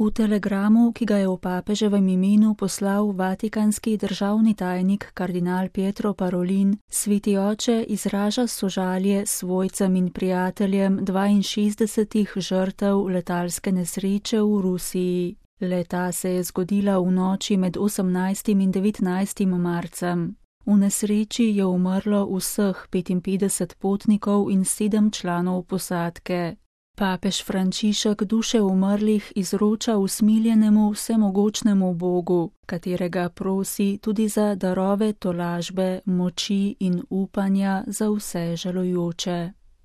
V telegramu, ki ga je v papeževem imenu poslal vatikanski državni tajnik kardinal Pietro Parolin, sveti oče izraža sožalje svojcem in prijateljem 62 žrtev letalske nesreče v Rusiji. Le-ta se je zgodila v noči med 18. in 19. marcem. V nesreči je umrlo vseh 55 potnikov in 7 članov posadke. Papež Frančišek duše umrlih izroča usmiljenemu vsemogočnemu Bogu, katerega prosi tudi za darove tolažbe, moči in upanja za vse žalujoče.